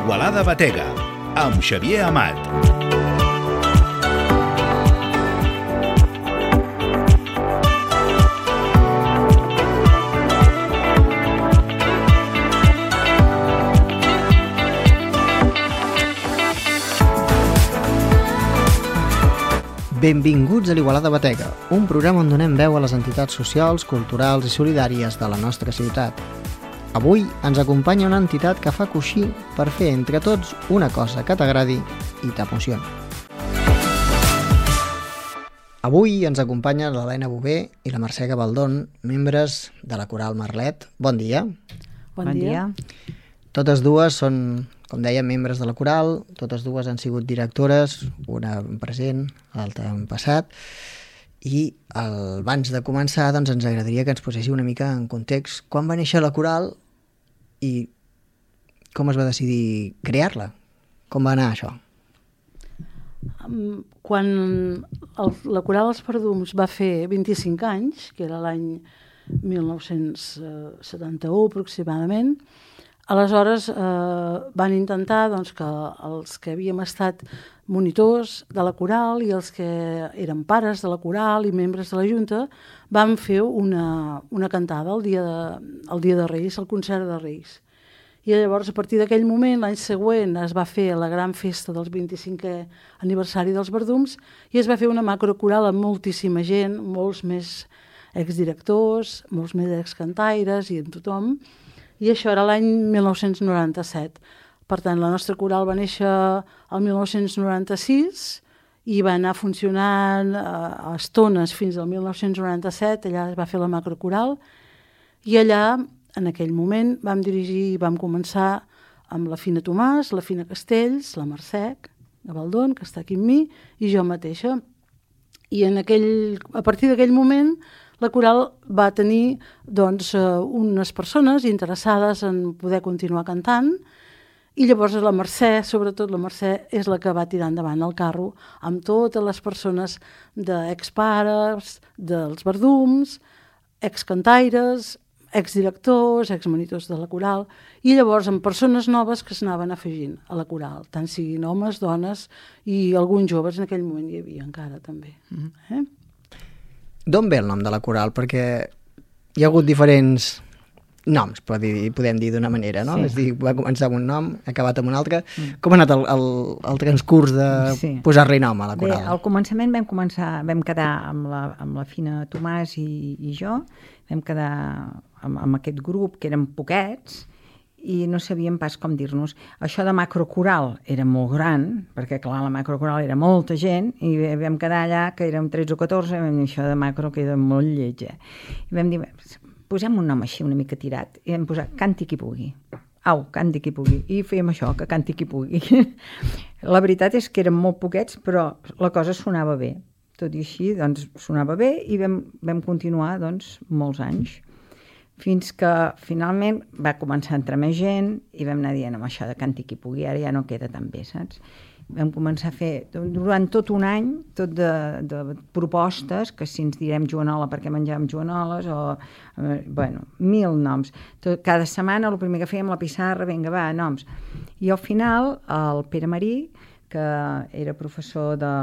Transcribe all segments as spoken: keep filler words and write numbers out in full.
Igualada Batega, amb Xavier Amat. Benvinguts a l'Igualada Batega, un programa on donem veu a les entitats socials, culturals i solidàries de la nostra ciutat. Avui ens acompanya una entitat que fa coixí per fer entre tots una cosa que t'agradi i t'emocioni. Avui ens acompanya l'Helena Bové i la Mercè Gabaldón, membres de la Coral Merlet. Bon dia. Bon, bon dia. Totes dues són, com deia, membres de la Coral, totes dues han sigut directores, una en present, l'altra en passat, i el, abans de començar doncs, ens agradaria que ens poséssiu una mica en context quan va néixer la Coral i com es va decidir crear-la. Com va anar això? Quan el, la Coral Els Perdums va fer vint-i-cinc anys, que era l'any mil nou-cents setanta-u aproximadament, aleshores eh, van intentar doncs, que els que havíem estat monitors de la Coral i els que eren pares de la Coral i membres de la Junta vam fer una, una cantada el dia, de, el dia de Reis, el concert de Reis. I llavors, a partir d'aquell moment, l'any següent, es va fer la gran festa del vint-i-cinquè aniversari dels Verdums i es va fer una macrocoral amb moltíssima gent, molts més exdirectors, molts més excantaires i amb tothom. I això era l'any mil nou-cents noranta-set. Per tant, la nostra coral va néixer el mil nou-cents noranta-sis i va anar funcionant a, a estones fins al mil nou-cents noranta-set. Allà es va fer la macrocoral i allà, en aquell moment, vam dirigir i vam començar amb la Fina Tomàs, la Fina Castells, la Mercè Gabaldón, que està aquí amb mi, i jo mateixa. I en aquell, a partir d'aquell moment la Coral va tenir doncs, unes persones interessades en poder continuar cantant i llavors la Mercè, sobretot la Mercè, és la que va tirar endavant el carro amb totes les persones d'expares, dels Verdums, excantaires, exdirectors, exmonitors de la Coral i llavors amb persones noves que s'anaven afegint a la Coral, tant siguin homes, dones i alguns joves en aquell moment hi havia encara també. Mm-hmm. Eh? D'on ve el nom de la Coral? Perquè hi ha hagut diferents noms, però dir, podem dir d'una manera, no? Sí. És dir, va començar amb un nom, ha acabat amb un altre. Mm. Com ha anat el, el, el transcurs de sí. posar-li nom a la Coral? Bé, al començament vam començar, vam quedar amb la, amb la Fina Tomàs i, i jo, vam quedar amb, amb aquest grup, que eren poquets, i no sabíem pas com dir-nos. Això de macrocoral era molt gran, perquè clar, la macrocoral era molta gent, i vam quedar allà, que érem tretze o catorze, i això de macro queda molt lleig. Eh? I vam dir, posem un nom així una mica tirat, i vam posar Canti qui pugui. Au, canti qui pugui. I fèiem això, que canti qui pugui. La veritat és que érem molt poquets, però la cosa sonava bé. Tot i així, doncs, sonava bé, i vam, vam continuar, doncs, molts anys. Fins que finalment va començar a entrar més gent i vam anar dient amb això de canti qui pugui, ara ja no queda tan bé, saps? Vam començar a fer, durant tot un any, tot de, de propostes, que si ens direm joanola perquè menjàvem joanoles, o, eh, bueno, mil noms. Tot, cada setmana el primer que fèiem la pissarra, vinga, va, noms. I al final, el Pere Marí, que era professor de,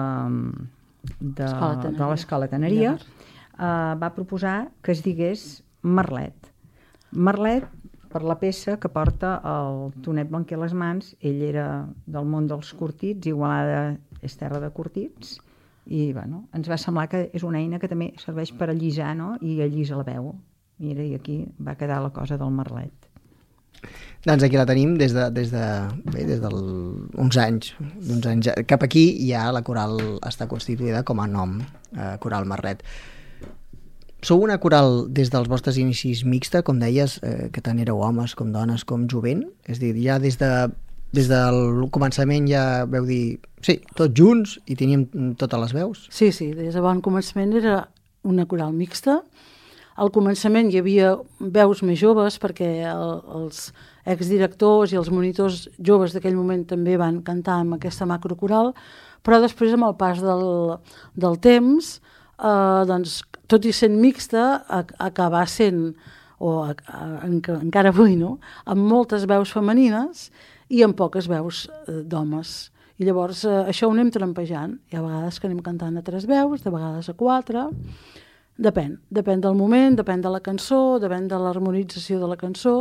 de, de l'Escola Teneria, eh, va proposar que es digués Merlet. Merlet, per la peça que porta el Tonet Blanquer a les mans, ell era del món dels curtits, Igualada és terra de curtits, i bueno, ens va semblar que és una eina que també serveix per allisar, no? I allisa la veu. Mira, i aquí va quedar la cosa del Merlet. Doncs aquí la tenim des de, des de, bé, des d'uns anys, d'uns anys cap aquí ja la Coral està constituïda com a nom, eh, Coral Merlet. Sou una coral des dels vostres inicis mixta, com deies, eh, que tant éreu homes com dones com jovent? És a dir, ja des, de, des del començament ja veu dir, sí, tots junts i teníem totes les veus? Sí, sí, des de bon començament era una coral mixta. Al començament hi havia veus més joves perquè el, els exdirectors i els monitors joves d'aquell moment també van cantar amb aquesta macrocoral, però després amb el pas del, del temps, eh, doncs, tot i sent mixta, acabà sent o a, a, en, encara avui, no? Amb moltes veus femenines i amb poques veus eh, d'homes. I llavors eh, això ho anem trampejant. Hi ha vegades que anem cantant a tres veus, de vegades a quatre. Depèn. Depèn del moment, depèn de la cançó, depèn de l'harmonització de la cançó.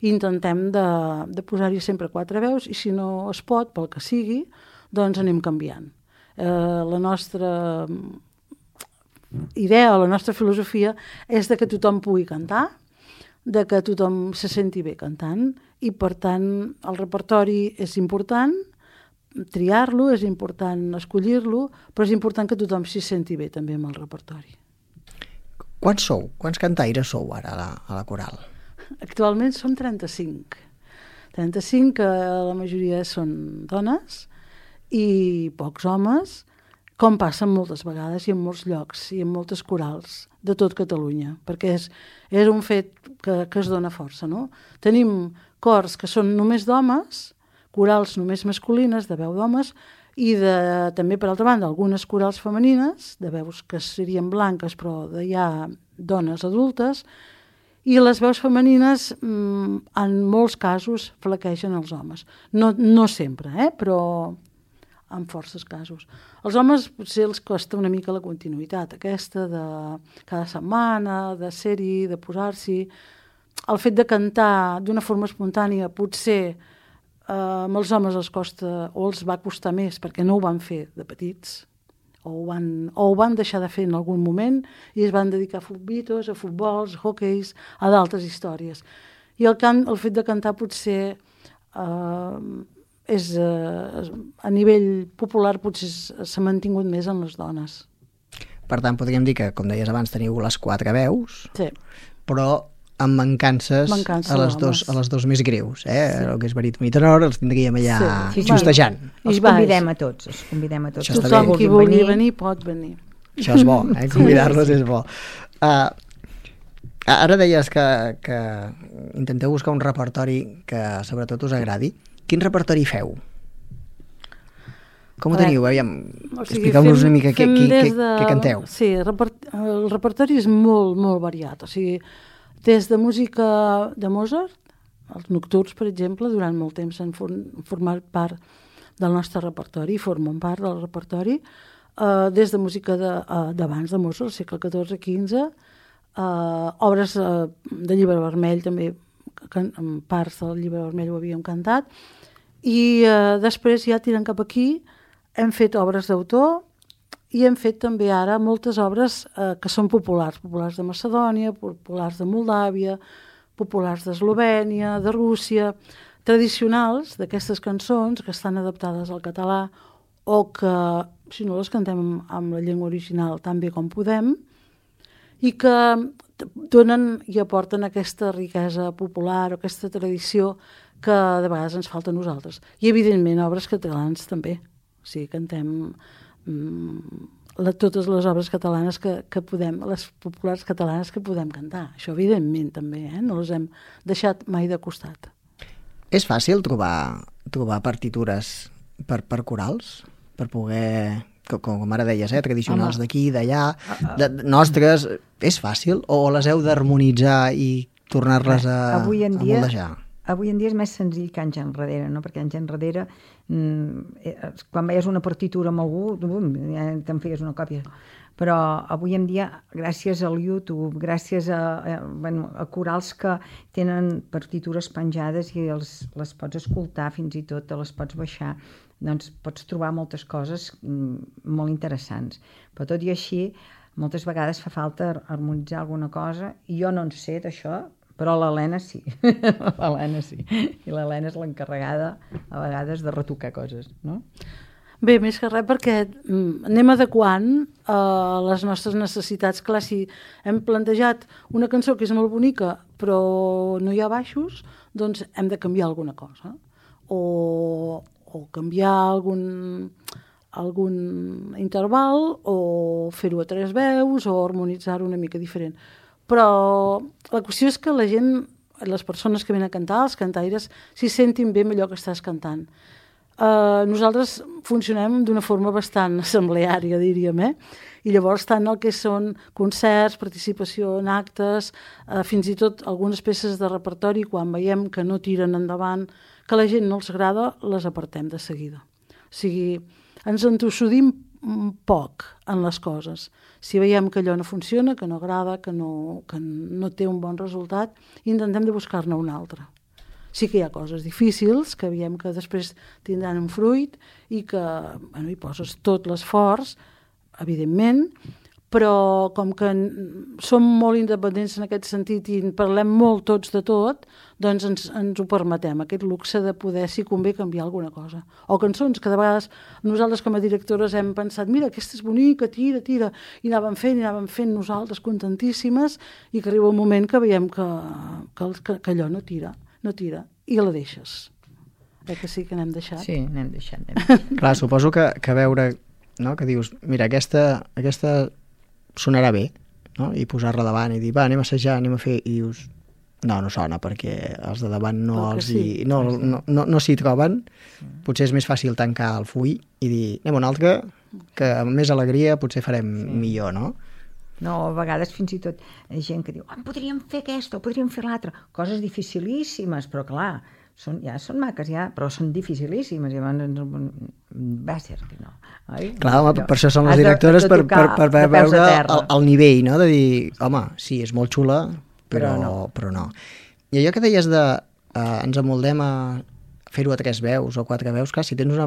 I intentem de, de posar-hi sempre quatre veus i si no es pot, pel que sigui, doncs anem canviant. Eh, la nostra idea o la nostra filosofia és de que tothom pugui cantar, de que tothom se senti bé cantant i, per tant, el repertori és important, triar-lo, és important escollir-lo, però és important que tothom s'hi senti bé també amb el repertori. Quants sou? Quants cantaires sou ara a la, a la coral? Actualment som trenta-cinc. trenta-cinc, que la majoria són dones i pocs homes, com passa moltes vegades i en molts llocs i en moltes corals de tot Catalunya, perquè és, és un fet que, que es dona força, no? Tenim cors que són només d'homes, corals només masculines, de veu d'homes, i de, també, per altra banda, algunes corals femenines, de veus que serien blanques, però de ja dones adultes, i les veus femenines, mmm, en molts casos, flaquegen els homes. No, no sempre, eh? Però en forces casos. Els homes potser els costa una mica la continuïtat, aquesta de cada setmana, de ser-hi, de posar-s'hi. El fet de cantar d'una forma espontània potser eh, amb els homes els costa o els va costar més perquè no ho van fer de petits o ho van, o ho van deixar de fer en algun moment i es van dedicar a futbitos, a futbols, a hoqueis, a d'altres històries. I el, cant, el fet de cantar potser eh, és, eh, a nivell popular potser s'ha mantingut més en les dones. Per tant, podríem dir que, com deies abans, teniu les quatre veus, sí. Però amb mancances, mancances a, les dos, a les dos més greus. Eh? Sí. El que és baríton i tenor els tindríem allà sí. justejant. Els convidem a tots, els convidem a tots. Això tothom qui vulgui venir. venir pot venir. Això és bo, eh? Convidar-los és bo. Uh, ara deies que, que intenteu buscar un repertori que sobretot us agradi. Quin repertori feu? Com ho teniu? Aviam, o sigui, expliqueu-nos una mica què, què, què, de... què canteu. Sí, el, reper... el repertori és molt, molt variat. O sigui, des de música de Mozart, els nocturns, per exemple, durant molt temps han format part del nostre repertori, formen part del repertori, eh, des de música d'abans de, uh, de Mozart, al segle catorze quinze, uh, obres uh, de Llibre Vermell, també can, parts del Llibre Vermell ho havíem cantat, i uh, després ja tirant cap aquí hem fet obres d'autor i hem fet també ara moltes obres eh, que són populars, populars de Macedònia, populars de Moldàvia, populars d'Eslovènia, de Rússia, tradicionals d'aquestes cançons que estan adaptades al català o que, si no les cantem amb, amb la llengua original tan bé com podem, i que donen i aporten aquesta riquesa popular o aquesta tradició que de vegades ens falta a nosaltres. I, evidentment, obres catalans també. O sigui, cantem mm, la, totes les obres catalanes que, que podem, les populars catalanes que podem cantar. Això, evidentment, també, eh? No les hem deixat mai de costat. És fàcil trobar, trobar partitures per, per corals? Per poder, com, com ara deies, eh? Tradicionals d'aquí, d'allà, de, nostres. És fàcil? O les heu d'harmonitzar i tornar-les a, avui en dia, a moldejar? Avui en dia és més senzill que anys enrere, no? Perquè anys enrere, mmm, quan veies una partitura amb algú, bum, ja te'n feies una còpia. Però avui en dia, gràcies al YouTube, gràcies a, a, bueno, a corals que tenen partitures penjades i els, les pots escoltar fins i tot, te les pots baixar, doncs pots trobar moltes coses mmm, molt interessants. Però tot i així, moltes vegades fa falta harmonitzar alguna cosa, i jo no en sé d'això, però l'Helena sí, l'Helena sí, i l'Helena és l'encarregada a vegades de retocar coses, no? Bé, més que res perquè mm, anem adequant a uh, les nostres necessitats. Clar, si hem plantejat una cançó que és molt bonica però no hi ha baixos, doncs hem de canviar alguna cosa o, o canviar algun, algun interval o fer-ho a tres veus o harmonitzar-ho una mica diferent. Però la qüestió és que la gent, les persones que venen a cantar, els cantaires, s'hi sentin bé amb allò que estàs cantant. Uh, nosaltres funcionem d'una forma bastant assembleària, diríem, eh? I llavors tant el que són concerts, participació en actes, uh, fins i tot algunes peces de repertori, quan veiem que no tiren endavant, que a la gent no els agrada, les apartem de seguida. O sigui, ens entossudim poc en les coses. Si veiem que allò no funciona, que no agrada, que no, que no té un bon resultat, intentem de buscar-ne un altre. Sí que hi ha coses difícils, que veiem que després tindran un fruit i que bueno, hi poses tot l'esforç, evidentment, però com que som molt independents en aquest sentit i en parlem molt tots de tot, doncs ens, ens ho permetem, aquest luxe de poder, si convé, canviar alguna cosa. O cançons que de vegades nosaltres com a directores hem pensat, mira, aquesta és bonica, tira, tira, i anàvem fent, i anàvem fent nosaltres contentíssimes, i que arriba un moment que veiem que, que, que, que allò no tira. no tira, i la deixes. Eh que sí que n'hem deixat? Sí, n'hem deixat. deixat. Clar, suposo que, que veure, no? Que dius, mira, aquesta, aquesta sonarà bé, no? I posar-la davant i dir, va, anem a assajar, anem a fer, i dius, no, no sona, perquè els de davant no, els sí. hi, no, no, no, no s'hi troben. Potser és més fàcil tancar el full i dir, anem a un altre, que amb més alegria potser farem sí. millor, no? No, a vegades fins i tot hi ha gent que diu, oh, podríem fer aquesta o podríem fer l'altra. Coses dificilíssimes, però clar, són, ja són maques, ja, però són dificilíssimes. I llavors va ser que no. Oi? Clar, home, per això són les directores, de, de per, per, per veure el, el nivell, no? De dir, home, sí, és molt xula, però, però, no. però no. I allò que deies de eh, ens amoldem a fer-ho a tres veus o quatre veus, clar, si tens una,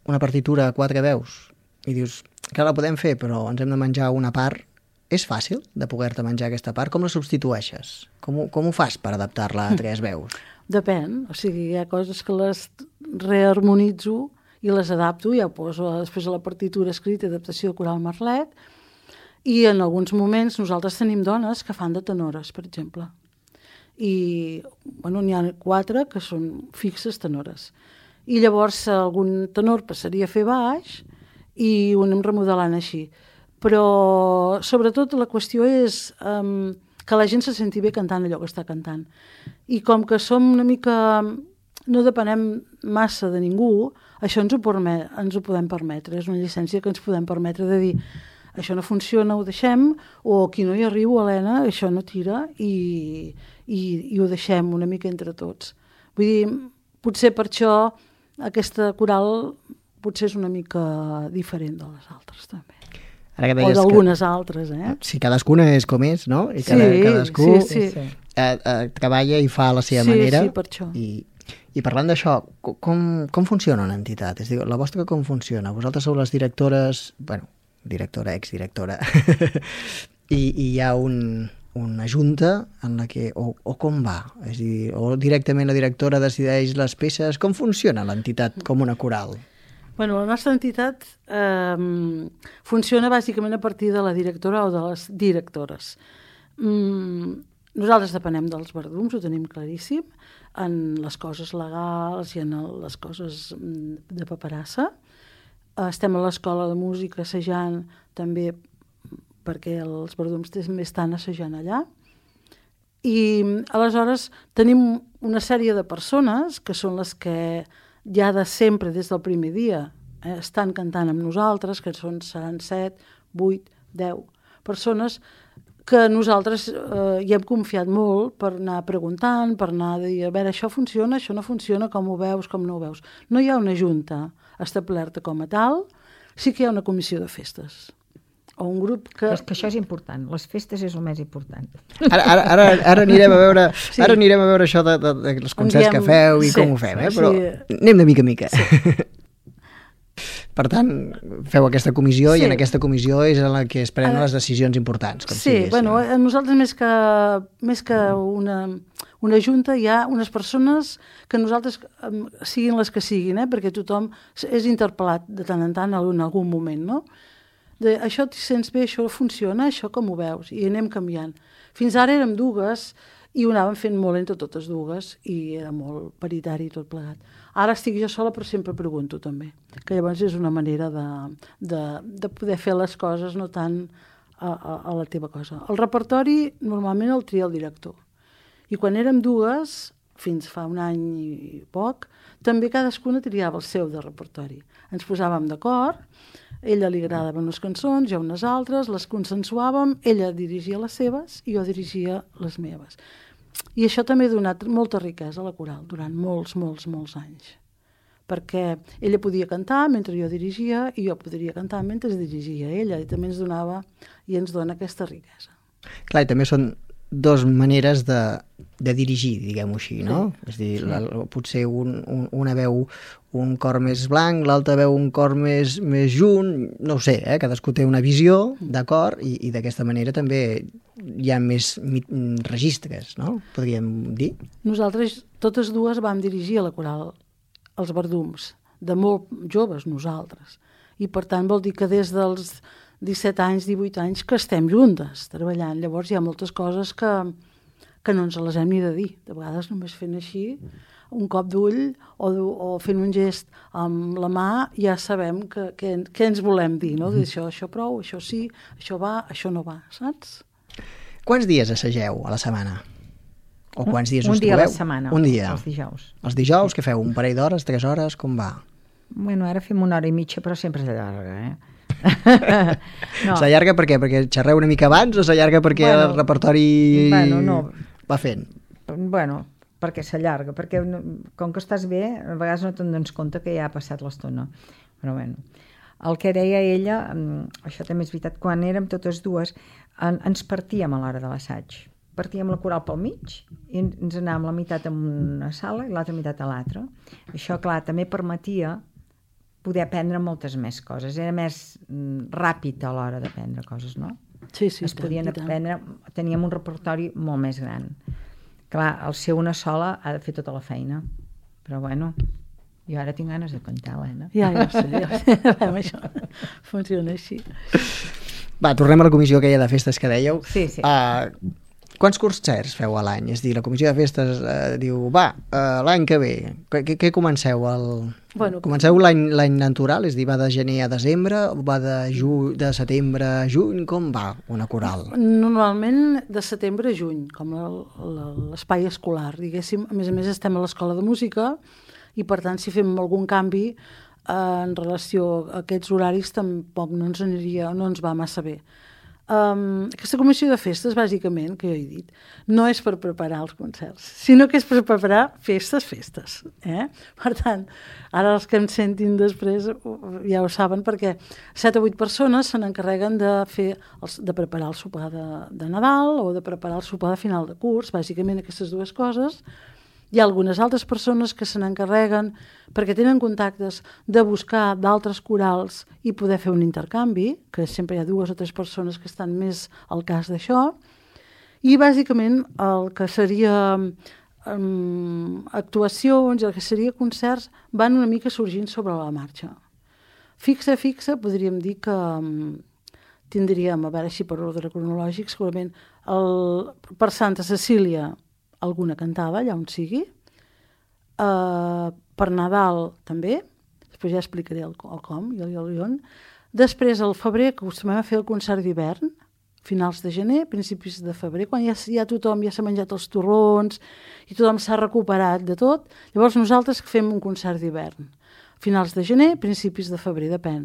una partitura a quatre veus i dius que la podem fer, però ens hem de menjar una part, és fàcil de poder-te menjar aquesta part? Com la substitueixes? Com ho, com ho fas per adaptar-la a tres veus? Depèn. O sigui, hi ha coses que les reharmonitzo i les adapto, ja ho poso després a la partitura escrita, adaptació de coral Merlet, i en alguns moments nosaltres tenim dones que fan de tenores, per exemple. I, bueno, n'hi ha quatre que són fixes tenores. I llavors algun tenor passaria a fer baix i ho anem remodelant així. Però sobretot la qüestió és um, que la gent se senti bé cantant allò que està cantant. I com que som una mica... no depenem massa de ningú, això ens ho, permet, ens ho podem permetre. És una llicència que ens podem permetre de dir això no funciona, ho deixem, o aquí no hi arribo, Helena, això no tira, i, i, i ho deixem una mica entre tots. Vull dir, potser per això aquesta coral potser és una mica diferent de les altres, també. Ara que o d'algunes que... altres, eh? Sí, cadascuna és com és, no? I cada, sí, cadascú sí, sí. Eh, eh, treballa i fa a la seva sí, manera. Sí, per això. I, i parlant d'això, com, com funciona una entitat? És a dir, la vostra com funciona? Vosaltres sou les directores, bueno, directora, exdirectora, i, i hi ha un, una junta en la que, o, o com va? És a dir, o directament la directora decideix les peces? Com funciona l'entitat com una coral? Bueno, la nostra entitat eh, funciona bàsicament a partir de la directora o de les directores. Mm, nosaltres depenem dels verdums, ho tenim claríssim, en les coses legals i en les coses de paperassa. Estem a l'escola de música assajant també perquè els verdums també estan assajant allà. I aleshores tenim una sèrie de persones que són les que ja de sempre, des del primer dia, eh, estan cantant amb nosaltres, que són, seran set, vuit, deu persones que nosaltres eh, hi hem confiat molt per anar preguntant, per anar a dir, a veure, això funciona, això no funciona, com ho veus, com no ho veus. No hi ha una junta establerta com a tal, sí que hi ha una comissió de festes. O un grup que... És que això és important, les festes és el més important. Ara, ara, ara, ara anirem a veure sí. ara anirem a veure això de, de, de els concerts diem... que feu i sí, com ho fem, eh? Però sí. anem de mica a mica. Sí. Per tant, feu aquesta comissió sí. i en aquesta comissió és en la que es prenen les decisions importants. Com sí, si bueno, a nosaltres més que, més que una, una junta hi ha unes persones que nosaltres siguin les que siguin, eh? Perquè tothom és interpel·lat de tant en tant en algun moment, no? De, això t'hi sents bé, això funciona, això com ho veus? I anem canviant. Fins ara érem dues i ho anàvem fent molt entre totes dues i era molt paritari tot plegat. Ara estic jo sola però sempre pregunto també, que llavors és una manera de, de, de poder fer les coses no tant a, a, a la teva cosa. El repertori normalment el tria el director i quan érem dues fins fa un any i poc, també cadascuna triava el seu de repertori. Ens posàvem d'acord, ella li agradaven unes cançons, jo unes altres, les consensuàvem, ella dirigia les seves i jo dirigia les meves. I això també ha donat molta riquesa a la coral durant molts, molts, molts anys. Perquè ella podia cantar mentre jo dirigia i jo podria cantar mentre dirigia ella, i també ens donava i ens dona aquesta riquesa. Clar, i també són dues maneres de, de dirigir, diguem-ho així, no? Sí. És a dir, sí. la, potser un, un, una veu un cor més blanc, l'altra veu un cor més, més junt, no ho sé, eh? Cadascú té una visió, d'acord, i, i d'aquesta manera també hi ha més registres, no? Podríem dir. Nosaltres, totes dues, vam dirigir a la coral els Verdums, de molt joves nosaltres, i per tant vol dir que des dels disset anys, divuit anys, que estem juntes treballant. Llavors hi ha moltes coses que, que no ens les hem ni de dir. De vegades només fent així, un cop d'ull o, o fent un gest amb la mà, ja sabem que, que, que ens volem dir, no? Dir això, això prou, això sí, això va, això no va, saps? Quants dies assageu a la setmana? O quants dies un us dia trobeu? a la setmana, un dia. Els dijous. Els dijous, què feu? Un parell d'hores, tres hores, com va? Bueno, ara fem una hora i mitja, però sempre s'allarga, eh? No. S'allarga per què? Perquè xerreu una mica abans o s'allarga perquè bueno, el repertori bueno, no. va fent? Bueno, perquè s'allarga, perquè com que estàs bé, a vegades no te'n dones compte que ja ha passat l'estona. Però bueno, el que deia ella, això també és veritat, quan érem totes dues, en, ens partíem a l'hora de l'assaig. Partíem la coral pel mig i ens anàvem la meitat en una sala i l'altra meitat a l'altra. Això, clar, també permetia poder aprendre moltes més coses. Era més ràpid a l'hora d'aprendre coses, no? Sí, sí. Es podien aprendre, teníem un repertori molt més gran. Clar, el ser una sola ha de fer tota la feina. Però bueno, jo ara tinc ganes de cantar, Helena. Ja, ja ho sé, ja ho sé. Això funciona així. Va, tornem a la comissió aquella de festes que dèieu. Sí, sí. Uh, Quants concerts feu a l'any? És a dir, la comissió de festes eh, diu, va, eh, l'any que ve, què, què comenceu? El... Bueno, comenceu l'any l'any natural? És a dir, va de gener a desembre, va de, ju... de setembre a juny? Com va una coral? Normalment de setembre a juny, com l'espai escolar, diguéssim. A més a més estem a l'escola de música i per tant si fem algun canvi eh, en relació a aquests horaris tampoc no ens aniria, no ens va massa bé. Um, aquesta comissió de festes, bàsicament, que jo he dit, no és per preparar els concerts, sinó que és per preparar festes, festes. Eh? Per tant, ara els que em sentin després ja ho saben, perquè set o vuit persones se n'encarreguen de, fer els, de preparar el sopar de, de Nadal o de preparar el sopar de final de curs, bàsicament aquestes dues coses. Hi ha algunes altres persones que se n'encarreguen perquè tenen contactes de buscar d'altres corals i poder fer un intercanvi, que sempre hi ha dues o tres persones que estan més al cas d'això, i bàsicament el que seria um, actuacions i el que seria concerts van una mica sorgint sobre la marxa. Fixa, fixa, podríem dir que um, tindríem, a veure si per ordre cronològic, segurament el, per Santa Cecília alguna cantada, allà on sigui. Uh, per Nadal també, després ja explicaré el, el com i el, el on. Després, al febrer, que acostumem a fer el concert d'hivern, finals de gener, principis de febrer, quan ja, ja tothom ja s'ha menjat els torrons i tothom s'ha recuperat de tot, llavors nosaltres fem un concert d'hivern. Finals de gener, principis de febrer, depèn.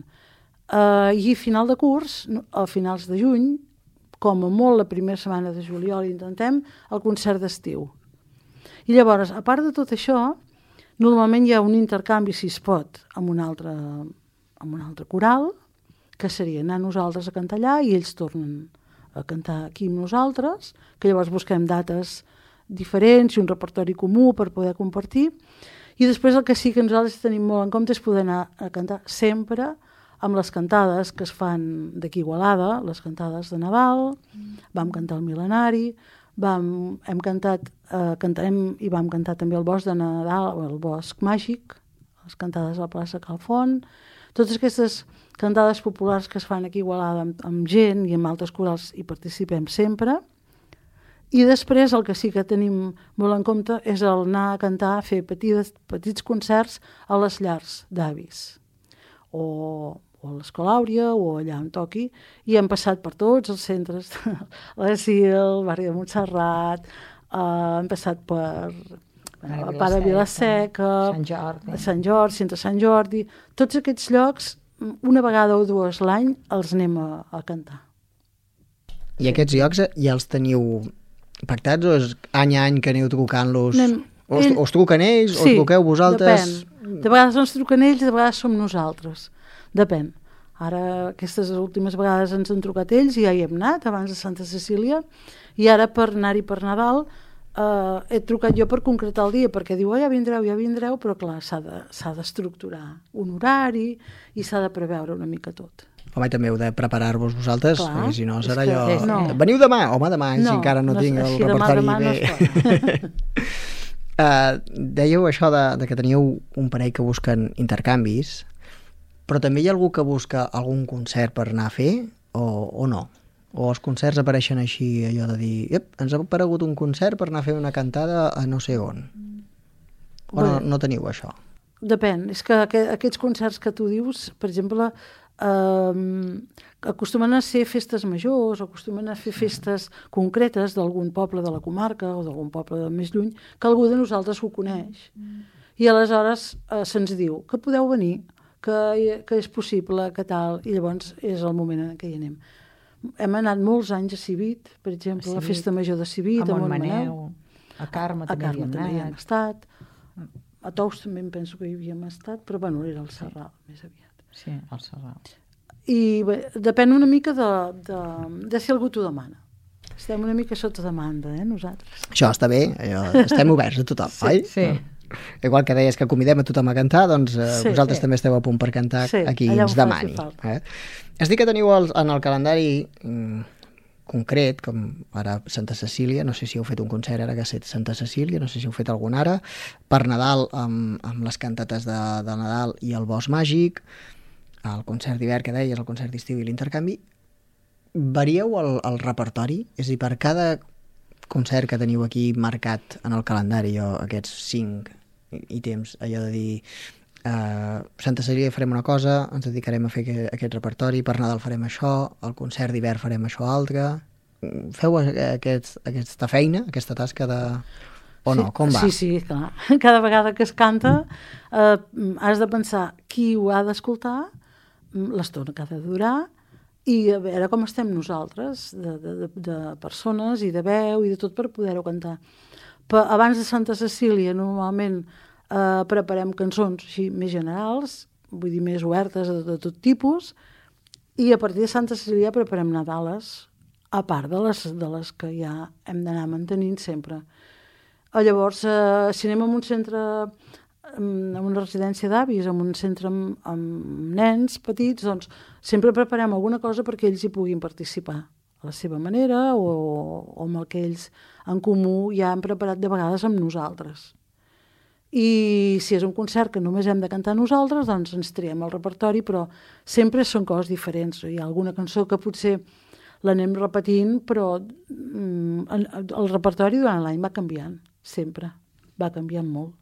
Uh, I final de curs, a finals de juny, com a molt la primera setmana de juliol, intentem el concert d'estiu. I llavors, a part de tot això, normalment hi ha un intercanvi, si es pot, amb un altre, amb un altre coral, que seria anar nosaltres a cantar allà i ells tornen a cantar aquí amb nosaltres, que llavors busquem dates diferents i un repertori comú per poder compartir. I després el que sí que nosaltres tenim molt en compte és poder anar a cantar sempre amb les cantades que es fan d'aquí Igualada, les cantades de Nadal, vam cantar el Mil·lenari, vam, hem cantat, eh, cantarem i vam cantar també el Bosc de Nadal, el Bosc Màgic, les cantades a la plaça Calfont, totes aquestes cantades populars que es fan aquí Igualada amb, amb gent i amb altres corals hi participem sempre. I després el que sí que tenim molt en compte és el anar a cantar, a fer petits, petits concerts a les llars d'avis, o o a l'Escola Àuria, o allà on toqui, i hem passat per tots els centres, l'Asil, el barri de Montserrat, eh, hem passat per, a part de Vila-seca, Sant Jordi. Sant Jordi, Centre Sant Jordi, tots aquests llocs, una vegada o dues l'any, els anem a, a cantar. I aquests llocs ja els teniu pactats o és any a any que aneu trucant-los? Anem... O us, o us truquen ells sí, o us truqueu vosaltres? Depèn. De vegades ens truquen ells, de vegades som nosaltres. Depèn. Ara, aquestes últimes vegades ens han trucat ells i ja hi hem anat, abans de Santa Cecília, i ara per anar-hi per Nadal eh, he trucat jo per concretar el dia, perquè diu, oh, ja vindreu, ja vindreu, però clar, s'ha de, s'ha d'estructurar un horari i s'ha de preveure una mica tot. Home, també heu de preparar-vos vosaltres, clar, perquè si no serà allò... Que, no. Veniu demà? Home, demà, no, si encara no, no tinc el així, repertori demà, demà bé. No Uh, dèieu això de, de que teníeu un parell que busquen intercanvis, però també hi ha algú que busca algun concert per anar a fer o, o no? O els concerts apareixen així, allò de dir ep, ens ha aparegut un concert per anar a fer una cantada a no sé on? O bueno, no, no teniu això? Depèn, és que aquests concerts que tu dius, per exemple, eh, acostumen a ser festes majors, acostumen a fer festes concretes d'algun poble de la comarca o d'algun poble de més lluny, que algú de nosaltres ho coneix. I aleshores eh, se'ns diu que podeu venir, que, que és possible, que tal, i llavors és el moment en què hi anem. Hem anat molts anys a Civit, per exemple, a la festa major de Civit, a Montmaneu, a Carme també, a Carme també hi hem estat, a Tous també em penso que hi havíem estat, però bueno, era el Serral, sí. Més aviat. Sí, el Serral. I bé, depèn una mica de, de, de si algú t'ho demana. Estem una mica sota demanda, eh, nosaltres. Això està bé, allò, estem oberts a tothom, sí, oi? Sí. Igual que deies que convidem a tothom a cantar, doncs eh, sí, vosaltres sí. també esteu a punt per cantar sí, a qui ens demani. Eh? Es diu que teniu el, en el calendari mm, concret, com ara Santa Cecília, no sé si heu fet un concert ara que ha estat Santa Cecília, no sé si heu fet algun ara, per Nadal amb, amb les cantates de, de Nadal i el Bosc Màgic, el concert d'hivern que deies, el concert d'estiu i l'intercanvi. Varieu el, el repertori? És a dir, per cada concert que teniu aquí marcat en el calendari, o aquests cinc ítems, allò de dir uh, Santa Cecília farem una cosa, ens dedicarem a fer aquest, aquest repertori, per Nadal farem això, el concert d'hivern farem això altre. Feu aquest, aquesta feina, aquesta tasca de... o no? Sí, com va? Sí, sí, clar. Cada vegada que es canta eh, has de pensar qui ho ha d'escoltar, l'estona que ha de durar, i a veure com estem nosaltres, de, de, de persones i de veu i de tot per poder-ho cantar. Però abans de Santa Cecília normalment eh, preparem cançons així més generals, vull dir més obertes de, de tot tipus, i a partir de Santa Cecília preparem Nadales, a part de les, de les que ja hem d'anar mantenint sempre. Llavors, eh, si anem a un centre, a una residència d'avis, en un centre amb, amb nens petits, doncs sempre preparem alguna cosa perquè ells hi puguin participar a la seva manera o, o amb el que ells en comú ja han preparat de vegades amb nosaltres. I si és un concert que només hem de cantar nosaltres, doncs ens triem el repertori, però sempre són coses diferents. Hi ha alguna cançó que potser l'anem repetint, però mm, el repertori durant l'any va canviant, sempre. Va canviant molt.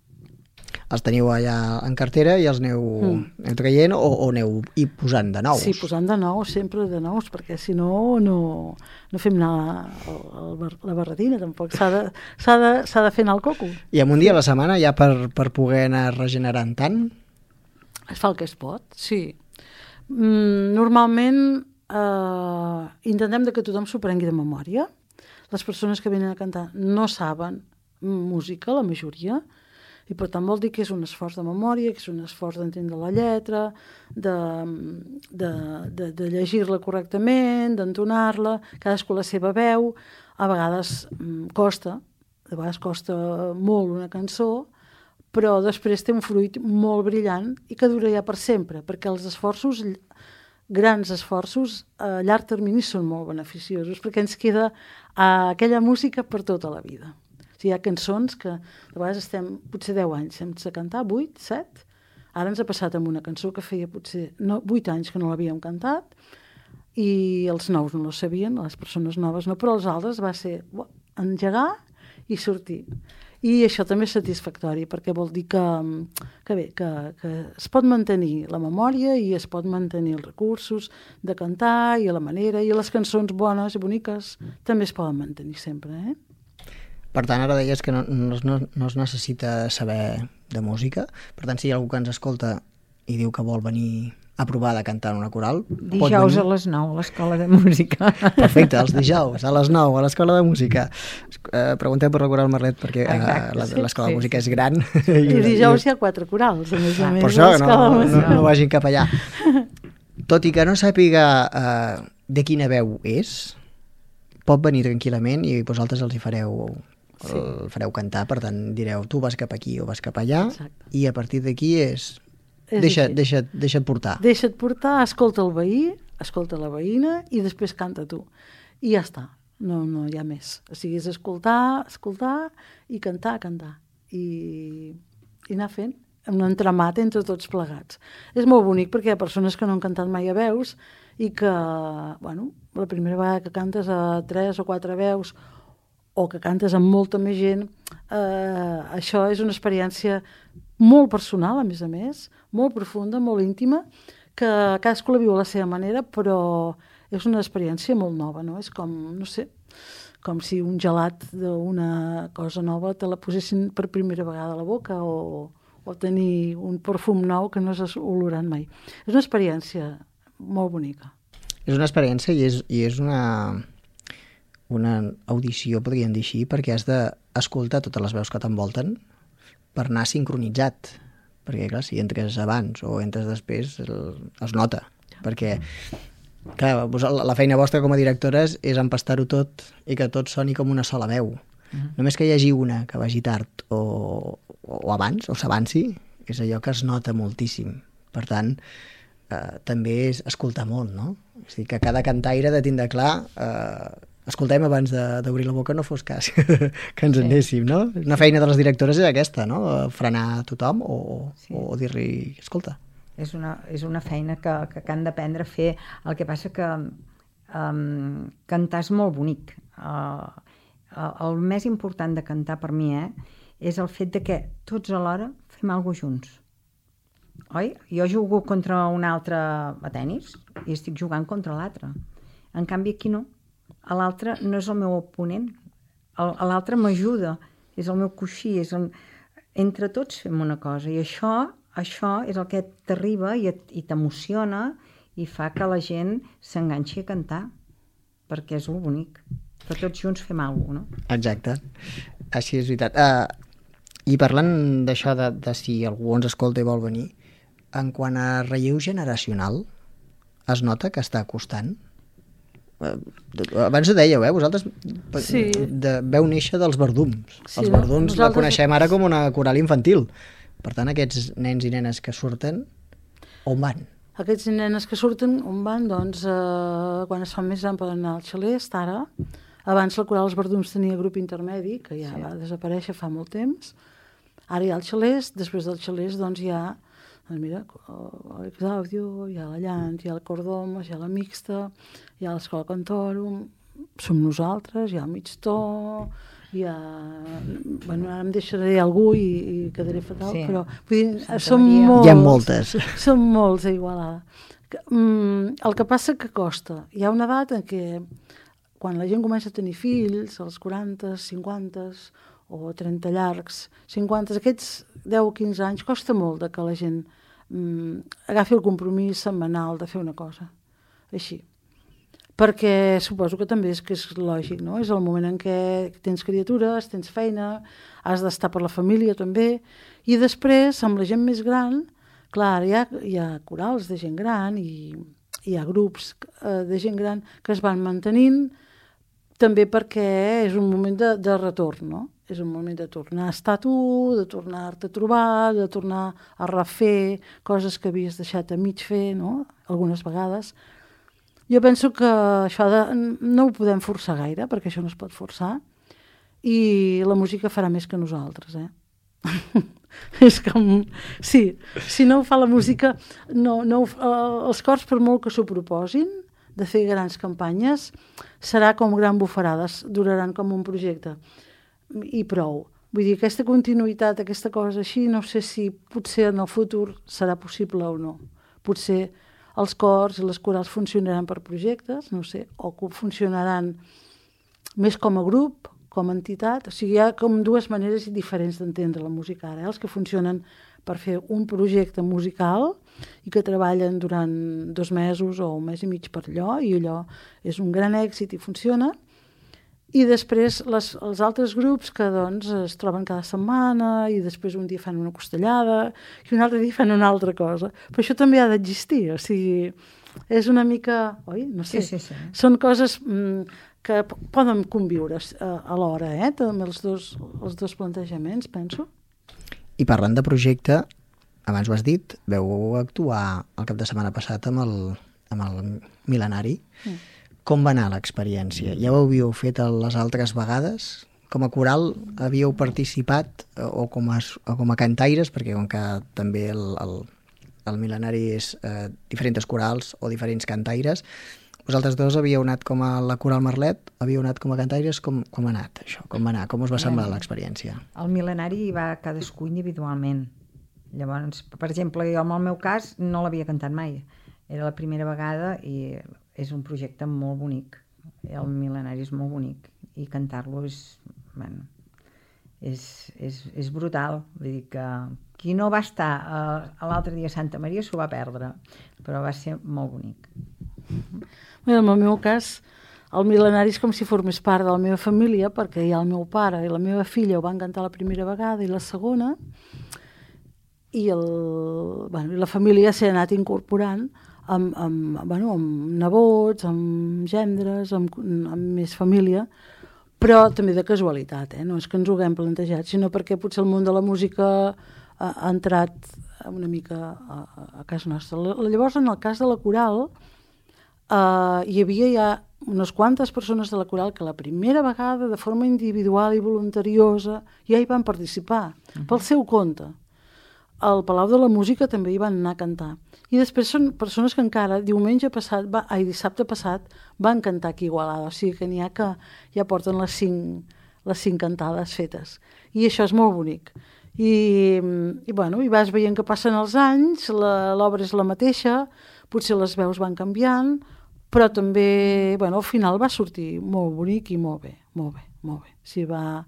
Els teniu allà en cartera i els aneu, mm. aneu traient o, o aneu i posant de nous? Sí, posant de nous, sempre de nous, perquè si no, no, no fem anar el, el, la barretina, tampoc. S'ha de, s'ha de, s'ha de fer anar el coco. I amb un dia a la setmana ja per, per poder anar regenerant tant? Es fa el que es pot, sí. Mm, normalment eh, intentem que tothom s'ho prengui de memòria. Les persones que venen a cantar no saben música, la majoria, i per tant vol dir que és un esforç de memòria, que és un esforç d'entendre la lletra, de, de, de, de llegir-la correctament, d'entonar-la, cadascú la seva veu. A vegades mm, costa, a vegades costa molt una cançó, però després té un fruit molt brillant i que dura ja per sempre, perquè els esforços, grans esforços, a llarg termini són molt beneficiosos, perquè ens queda uh, aquella música per tota la vida. Hi ha cançons que de vegades estem potser deu anys sense cantar, vuit, set. Ara ens ha passat amb una cançó que feia potser no, vuit anys que no l'havíem cantat i els nous no la sabien, les persones noves no, però els altres va ser uah, engegar i sortir. I això també és satisfactori perquè vol dir que, que bé, que, que es pot mantenir la memòria i es pot mantenir els recursos de cantar i la manera, i les cançons bones i boniques també es poden mantenir sempre, eh? Per tant, ara deies que no, no, es- no, no es necessita saber de música. Per tant, si hi ha algú que ens escolta i diu que vol venir a provar de cantar en una coral, pot Dijous a venir. les nou, a l'Escola de Música. Perfecte, els dijous, a les nou, a l'Escola de Música. Eh, preguntem per la Coral Marlet, perquè eh, Exacte, la- sí, l'Escola sí, de Música sí. és gran. I dijous hi ha quatre corals, a més a més. Per això, a no, l'Escola de no, Música. no vagin cap allà. Tot i que no sàpiga eh, de quina veu és, pot venir tranquil·lament i vosaltres els hi fareu, Sí. el fareu cantar, per tant direu tu vas cap aquí o vas cap allà, Exacte. i a partir d'aquí és... És Deixa, així. deixa't, deixa't portar. Deixa't portar, escolta el veí, escolta la veïna i després canta tu. I ja està, no, no hi ha més. O sigui, és escoltar, escoltar i cantar, cantar. I, i anar fent un entramat entre tots plegats. És molt bonic perquè hi ha persones que no han cantat mai a veus i que, bueno, la primera vegada que cantes a tres o quatre veus o que cantes amb molta més gent, eh, això és una experiència molt personal, a més a més, molt profunda, molt íntima, que cadascú la viu a la seva manera, però és una experiència molt nova, no? És com, no sé, com si un gelat d'una cosa nova te la posessin per primera vegada a la boca o, o tenir un perfum nou que no has olorat mai. És una experiència molt bonica. És una experiència i és, i és una, una audició, podríem dir així, perquè has d'escoltar totes les veus que t'envolten per anar sincronitzat. Perquè, clar, si entres abans o entres després, el, es nota. Perquè, clar, vos- la la feina vostra com a directores és empastar-ho tot i que tot soni com una sola veu. Mm. Només que hi hagi una que vagi tard o, o abans, o s'avanci, és allò que es nota moltíssim. Per tant, eh, també és escoltar molt, no? És a dir, que cada cantaire ha de tindre clar eh, escoltem abans de- d'obrir la boca, no fos cas que ens Sí. anéssim, no? Una feina de les directores és aquesta, no? Frenar tothom o, Sí. o dir-li, escolta. És una, és una feina que, que, que han d'aprendre a fer. El que passa que um, cantar és molt bonic. Uh, el més important de cantar per mi eh, és el fet de que tots alhora fem alguna cosa junts. Oi? Jo jugo contra un altre a tennis i estic jugant contra l'altre. En canvi aquí no. A l'altre no és el meu oponent. El- a l'altre m'ajuda. És el meu coixí. És el... Entre tots fem una cosa. I això, això és el que t'arriba i, et- i t'emociona i fa que la gent s'enganxi a cantar. Perquè és el bonic. Que tots junts fem alguna cosa, no? Exacte. Així és veritat. Uh, I parlant d'això, de, de si algú ens escolta i vol venir, en quant a relleu generacional, es nota que està costant? Uh, abans ho dèieu, eh? Vosaltres Sí. de, veu néixer dels verdums. Sí, Els no? verdums la Nosaltres- coneixem ara com una coral infantil. Per tant, aquests nens i nenes que surten, on van? Aquests nenes que surten, on van? Doncs eh, quan es fan més grans poden anar al Xalest, ara. Abans la Coral dels Verdums tenia grup intermedi, que ja sí. va desaparèixer fa molt temps. Ara hi ha el Xalest, després del Xalest doncs hi ha, doncs mira, l'Exaudio, hi ha la Llant, hi ha el Cordomes, hi ha la Mixta, hi ha l'Escola Cantòrum, som nosaltres, hi ha el Migtó, hi ha... Bueno, ara em deixaré algú i, i quedaré fatal, Sí. però vull dir, Santa som Maria. molts. Hi ha moltes. Són molts a Igualada. Que, mm, el que passa que costa. Hi ha una edat en què quan la gent comença a tenir fills, als quaranta, cinquanta o trenta llargs, cinquanta, aquests deu o quinze anys, costa molt de que la gent mm, agafi el compromís setmanal de fer una cosa. Així. Perquè suposo que també és que és lògic, no? És el moment en què tens criatures, tens feina, has d'estar per la família també, i després, amb la gent més gran, clar, hi ha, hi ha corals de gent gran i hi ha grups eh, de gent gran que es van mantenint també perquè és un moment de, de retorn, no? És un moment de tornar a estar tu, de tornar-te a trobar, de tornar a refer coses que havies deixat a mig fer, no? Algunes vegades. Jo penso que això de, no ho podem forçar gaire, perquè això no es pot forçar, i la música farà més que nosaltres, eh? És com... Sí, si no ho fa la música, no, no, ho- eh, els cors, per molt que s'ho proposin, de fer grans campanyes, serà com gran bufarades, duraran com un projecte. I prou. Vull dir, aquesta continuïtat, aquesta cosa així, no sé si potser en el futur serà possible o no. Potser els cors i les corals funcionaran per projectes, no sé, o que funcionaran més com a grup com a entitat. O sigui, hi ha com dues maneres diferents d'entendre la música ara, eh? Els que funcionen per fer un projecte musical i que treballen durant dos mesos o un mes i mig per allò, i allò és un gran èxit i funciona. I després les, els altres grups que doncs, es troben cada setmana i després un dia fan una costellada i un altre dia fan una altra cosa. Però això també ha d'existir, o sigui, és una mica... Oi? No sé. Sí, sí, sí. Són coses mm, que poden conviure a, a l'hora, eh? També els dos, els dos plantejaments, penso. I parlant de projecte, abans ho has dit, veu actuar el cap de setmana passat amb el, amb el Mil·lenari. Mm. Com va anar l'experiència? Ja ho havíeu fet les altres vegades? Com a coral havíeu participat o com a, o com a cantaires? Perquè com que també el, el, el Mil·lenari és eh, diferents corals o diferents cantaires, vosaltres dos havíeu anat com a la Coral Merlet, havíeu anat com a cantaires, com, com ha anat això? Com va anar? Com us va semblar l'experiència? El Mil·lenari va cadascú individualment. Llavors, per exemple, jo en el meu cas no l'havia cantat mai. Era la primera vegada i és un projecte molt bonic. El Mil·lenari és molt bonic i cantar-lo és, bueno, és, és, és brutal. Vull dir que qui no va estar a l'altre dia a Santa Maria s'ho va perdre, però va ser molt bonic. Bé, en el meu cas, el Mil·lenari és com si formés part de la meva família, perquè hi ha el meu pare i la meva filla ho van cantar la primera vegada i la segona, i, el, bueno, i la família s'ha anat incorporant amb, amb, bueno, amb nebots, amb gendres, amb, amb més família, però també de casualitat, eh? No és que ens ho haguem plantejat, sinó perquè potser el món de la música ha, ha entrat una mica a, a casa nostra. Llavors, en el cas de la coral, Uh, hi havia ja unes quantes persones de la coral que la primera vegada, de forma individual i voluntariosa, ja hi van participar, uh-huh. pel seu compte. Al Palau de la Música també hi van anar a cantar. I després són persones que encara diumenge passat, va, ai, dissabte passat, van cantar aquí a Igualada. O sigui que n'hi ha que ja porten les cinc, les cinc cantades fetes. I això és molt bonic. I, i, bueno, i vas veient que passen els anys, l'obra és la mateixa, potser les veus van canviant, però també, bueno, al final va sortir molt bonic i molt bé, molt bé, molt bé. Sí, va,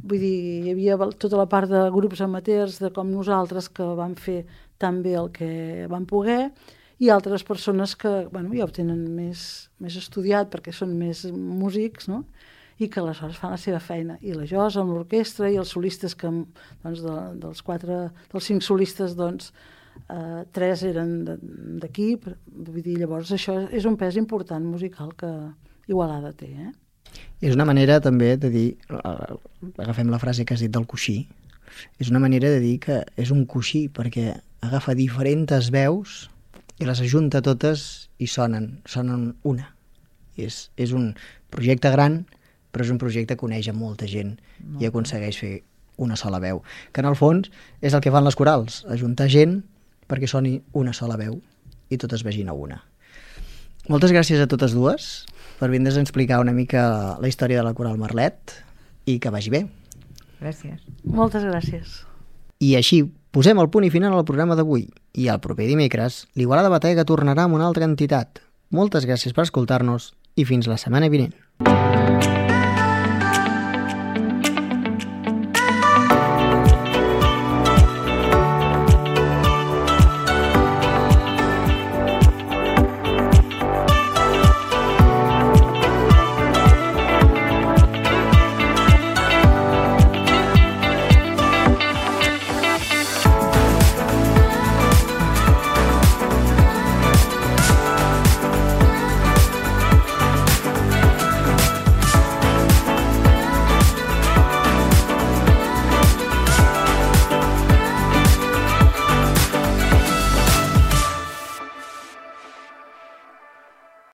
vull dir, hi havia tota la part de grups amateurs de com nosaltres que van fer tan bé el que van poder i altres persones que, bueno, ja ho tenen més, més estudiat perquè són més músics, no?, i que aleshores fan la seva feina. I la Josa amb l'orquestra i els solistes que, doncs, de, dels quatre, dels cinc solistes, doncs, Uh, tres eren d'aquí, vull dir, llavors això és un pes important musical que Igualada té, eh? És una manera també de dir, uh, agafem la frase que has dit del coixí, és una manera de dir que és un coixí perquè agafa diferents veus i les ajunta totes i sonen, sonen una. És, és un projecte gran, però és un projecte que uneix a molta gent i aconsegueix fer una sola veu, que en el fons és el que fan les corals, ajuntar gent perquè soni una sola veu i totes vegin a una. Moltes gràcies a totes dues per vindre's a explicar una mica la història de la Coral Merlet i que vagi bé. Gràcies. Moltes gràcies. I així posem el punt i final al programa d'avui i el proper dimecres l'Igualada Batega tornarà amb una altra entitat. Moltes gràcies per escoltar-nos i fins la setmana vinent.